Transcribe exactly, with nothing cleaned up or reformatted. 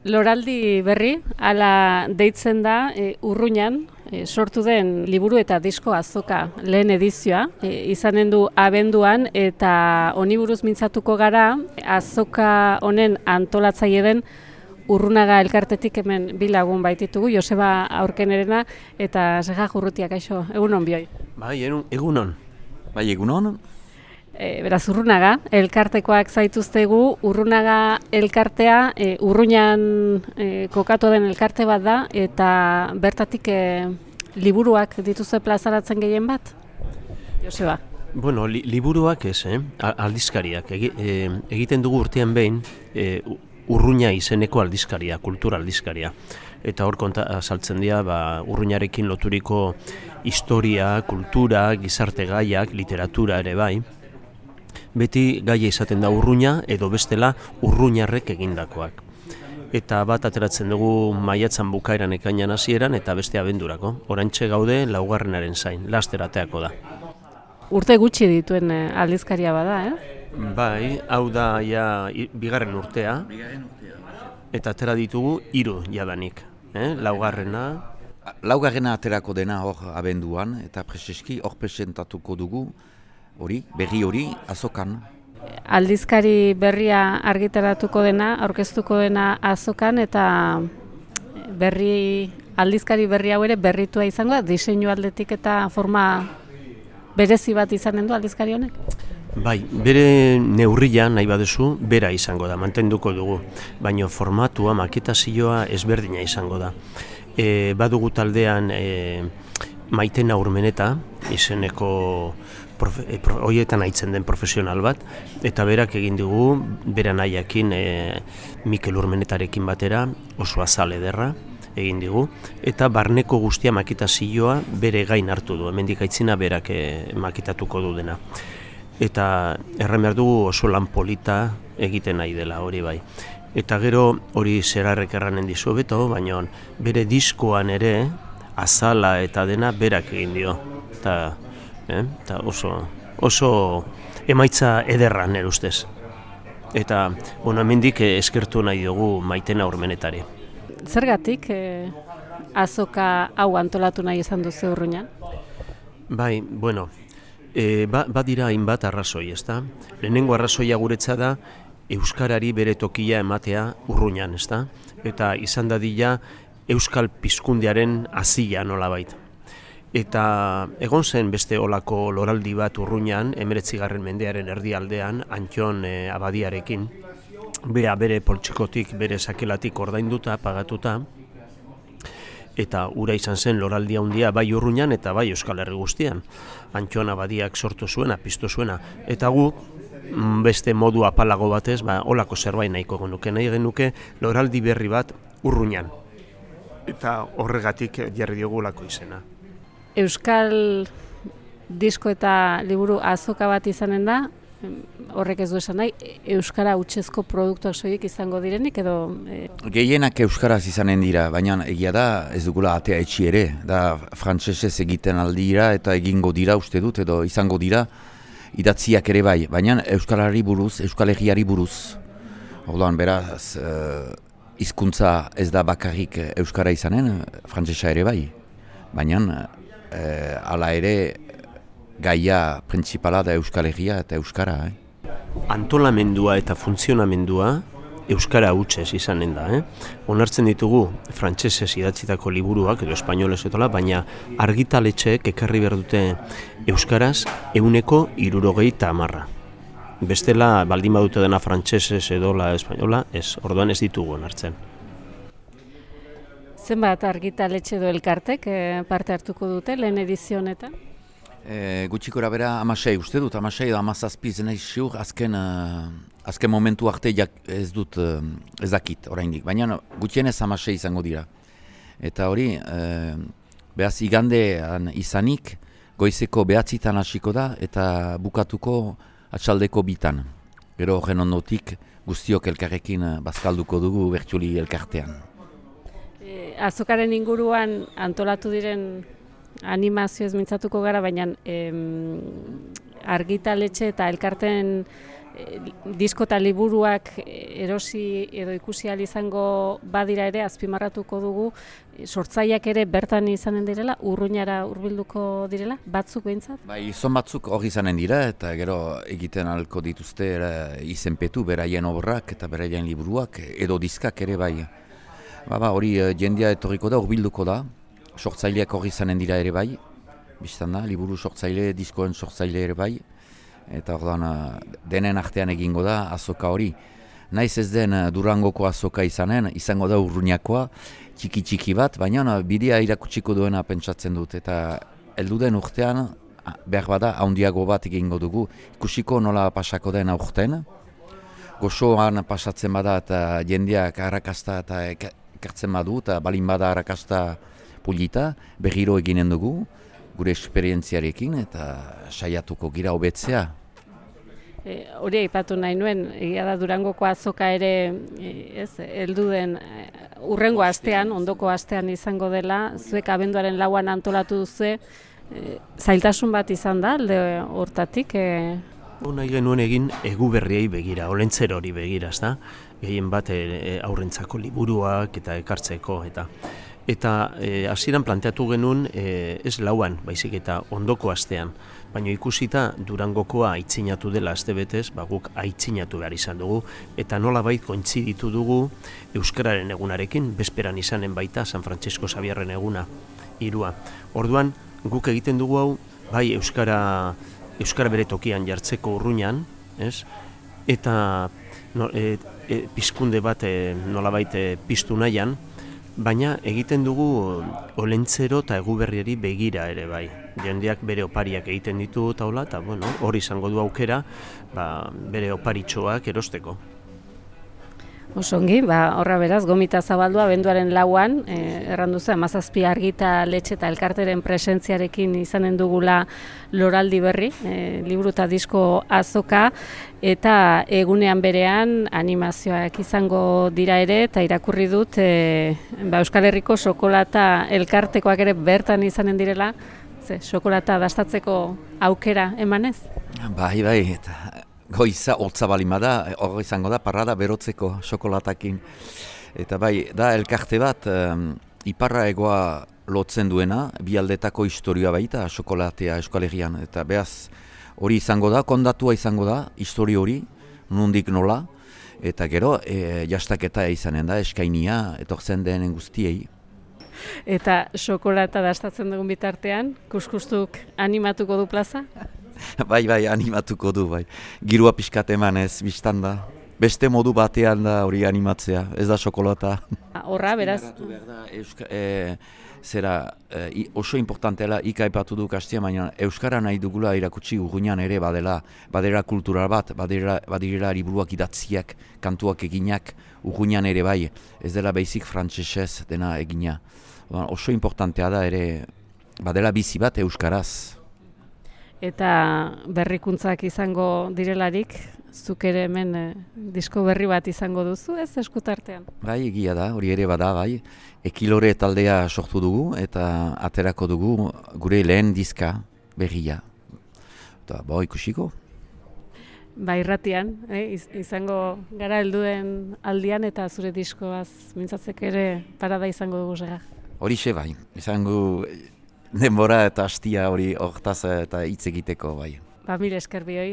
Loraldi berri, hala deitzen da, e, Urruñan e, sortu den liburu eta disko azoka lehen edizioa, e, izanen du abenduan, eta honi buruz mintzatuko gara, azoka honen antolatzaile den Urrunaga elkartetik hemen bi lagun baititugu, Joseba Aurkenerena eta Seja Jurrutia, kaixo, egunon bioi. Bai, egunon. Bai, egunon. E, beraz, Urrunaga, elkartekoak zaituztegu, Urrunaga elkartea, e, Urruñan e, kokatu den elkarte bat da, eta bertatik e, liburuak dituzte plazaratzen gehien bat? Joseba? Bueno, li, liburuak ez, eh? aldizkariak. Egi, e, egiten dugu urtean behin, e, Urruña izeneko aldizkaria, kultura aldizkaria. Eta hor konta azaltzen dira, ba, Urruñarekin loturiko historia, kultura, gizarte gaiak, literatura ere bai. Beti gaia izaten da Urruña edo bestela urruñarrek egindakoak. Eta bat ateratzen dugu maiatzan bukaeran ekainan hasieran eta beste abendurako. Oraintxe gaude laugarrenaren zain, laster ateako da. Urte gutxi dituen aldizkaria bada, eh? Bai, hau da ja bigarren urtea. Eta atera ditugu hiru jadanik, eh? Laugarrena. Laugarrena aterako dena hor abenduan eta preseski hor presentatuko dugu. Hori, berri hori, azokan. Aldizkari berria argitaratuko dena, aurkeztuko dena azokan, eta berri, aldizkari berri hau ere berritua izango da, diseinu aldetik eta forma berezi bat izanen du aldizkari honek? Bai, bere neurria nahi baduzu, bera izango da, mantenduko dugu, baina formatua, maketazioa ezberdina izango da. E, badugu taldean e, Maitena Urmeneta, izeneko profe, e, pro, hoietan aitzen den profesional bat, eta berak egin dugu, bera nahiakin e, Mikel Urmenetarekin batera, oso azal ederra egin digu, eta barneko guztia maketazioa bere gain hartu du, hemendik aitzina berak e, maketatuko du dena. Eta erran behar dugu oso lan polita egiten nahi dela, hori bai. Eta gero hori zerarrek erranen dizu beto, baina bere diskoan ere azala eta dena berak egin dio. Eta, eh, eta oso, oso emaitza ederra nire ustez. Eta bueno, hemendik eskertu nahi dugu Maitena Urmenetari. Zergatik eh, azoka hau antolatu nahi izan duzu Urruñan? Bai, bueno, e, ba, badira hainbat arrazoi, ezta? Lehenengo arrazoia guretza da euskarari bere tokia ematea Urruñan, ezta? Eta izan dadila euskal pizkundearen hazia nolabait. Eta egon zen beste olako loraldi bat Urruñan, hemeretzigarren mendearen erdialdean, Antxon e, abadiarekin, bera bere poltsikotik, bere sakelatik ordainduta, pagatuta, eta ura izan zen loraldi handia bai Urruñan eta bai Euskal Herri guztian. Antxon abadiak sortu zuena, piztu zuena, eta gu beste modu apalago batez, ba, olako zerbait nahiko genuke, nahi genuke loraldi berri bat Urruñan. Eta horregatik jarri diogulako izena. Euskal disko eta liburu azoka bat izanen da, horrek ez du esan nahi, euskara hutsezko produktuak soilik izango direnik edo... E... Gehienak euskaraz izanen dira, baina egia da ez dugula atea etxi ere, da frantsesez egiten aldira eta egingo dira uste dut edo izango dira idatziak ere bai, baina euskalari buruz, euskal herriari buruz. Orduan beraz, hizkuntza ez da bakarrik euskara izanen, frantsesa ere bai, baina e, hala ere gaia printzipala da Euskal Herria eta Euskara. Eh? Antolamendua eta funtzionamendua Euskara hutsez izanen da. Eh? Onartzen ditugu frantsesez idatzitako liburuak edo espainolez etola, baina argitaletxeek ekarri behar dute Euskaraz ehuneko hirurogeita hamarra. Bestela baldin badute dena frantsesez edola espainola, ez, orduan ez ditugu onartzen. Zenbat argitaletxe edo elkartek eh, parte hartuko dute lehen edizio honetan? E, gutxikora bera amasei, uste dut, amasei da amazazpiz nahi ziur, azken, uh, azken momentu arte jak, ez dut uh, ez dakit oraindik, baina gutxienez amasei izango dira. Eta hori, uh, behaz igandean izanik, goizeko behatzitan hasiko da eta bukatuko atxaldeko bitan. Gero horren ondotik guztiok elkarrekin bazkalduko dugu bertsuli elkartean. E, azokaren inguruan antolatu diren animazioez mintzatuko gara, baina em, argitaletxe eta elkarten disko eta liburuak erosi edo ikusi ahal izango badira ere, azpimarratuko dugu, sortzaileak ere bertan izanen direla, Urruñara hurbilduko direla, batzuk behintzat? Bai, izan batzuk hori izanen dira, eta gero egiten ahalko dituzte era, izenpetu beraien obrak eta beraien liburuak, edo diskak ere bai. Ba, ba, hori jendea etorriko da, hurbilduko da, sortzaileak hori izanen dira ere bai, biztan da, liburu sortzaile, diskoen sortzaile ere bai, eta orduan denen artean egingo da azoka hori. Naiz ez den Durangoko azoka izanen, izango da Urruñakoa, txiki-txiki bat, baina bidea irakutsiko duena pentsatzen dut, eta heldu den urtean, behar bada, handiago bat egingo dugu, ikusiko nola pasako den aurten, gozoan pasatzen bada eta jendeak arrakasta eta ekartzen badu, eta balin bada arrakasta polita, berriro eginen dugu, gure esperientziarekin, eta saiatuko gira hobetzea. E, hori aipatu nahi nuen, egia da Durangoko azoka ere, e, ez, heldu den e, urrengo astean, ondoko astean izango dela, zuek abenduaren lauan antolatu duzu, e, zailtasun bat izan da, alde hortatik? E... Nahi genuen egin eguberriei begira, olentzero hori begira, ezta? Gehien bat e, aurrentzako liburuak eta ekartzeko, eta eta hasieran planteatu genuen e, ez lauan, baizik eta ondoko astean. Baina ikusita Durangokoa aitzinatu dela astebetez, ba guk aitzinatu behar izan dugu, eta nolabait kointziditu dugu Euskararen egunarekin, bezperan izanen baita San Francisco Xabierren eguna, hirua. Orduan, guk egiten dugu hau, bai Euskara, Euskara bere tokian jartzeko Urruñan, ez? Eta no, e, e, pizkunde bat e, nolabait e, piztu nahian, baina egiten dugu olentzero eta eguberriari begira ere bai. Jendeak bere opariak egiten ditu taula, eta bueno, hori izango du aukera ba, bere oparitxoak erosteko. Osongi, ba, horra beraz, gomita zabaldua abenduaren lauan, eh, erranduzu, hamazazpi argita letxe eta elkarteren presentziarekin izanen dugula loraldi berri, eh, liburu eta disko azoka, eta egunean berean animazioak izango dira ere, eta irakurri dut eh, ba, Euskal Herriko Xokolata elkartekoak ere bertan izanen direla, ze, xokolata dastatzeko aukera emanez? Bai, bai, eta goiza hotza balima da, hor izango da, parrada berotzeko xokolatakin. Eta bai, da elkarte bat, um, iparra egoa lotzen duena, bi aldetako historioa baita, xokolatea Euskal Herrian. Eta behaz, hori izango da, kondatua izango da, historio hori, nondik nola, eta gero, e, jastaketa izanen da, eskainia, etortzen denen guztiei. Eta xokolata dastatzen dugun bitartean, kuskustuk animatuko du plaza? Bai, bai, animatuko du, bai. Girua pixkat emanez, biztan da. Beste modu batean da hori animatzea, ez da xokolata. Horra, beraz? Da, Euska, e, zera, e, oso importantela ikaipatu du kastia, baina Euskara nahi dugula irakutsi Urruñan ere badela, badera kultural bat, badera, badira liburuak idatziak, kantuak eginak, Urruñan ere bai, ez dela basic frantsesez dena egina. Oso importantea da ere, badela bizi bat Euskaraz. Eta berrikuntzak izango direlarik, zuk ere hemen eh, disko berri bat izango duzu, ez eskutartean? Bai, egia da, hori ere bada, bai. Ekilore taldea sortu dugu eta aterako dugu gure lehen diska berria. Eta, bo, ikusiko. Ba, irratian, eh, izango gara helduen aldian eta zure diskoaz mintzatzek ere parada izango dugu zera. Horixe bai, izango denbora eta hastia hori hortaz eta hitz egiteko bai. Ba, mire esker bihoi,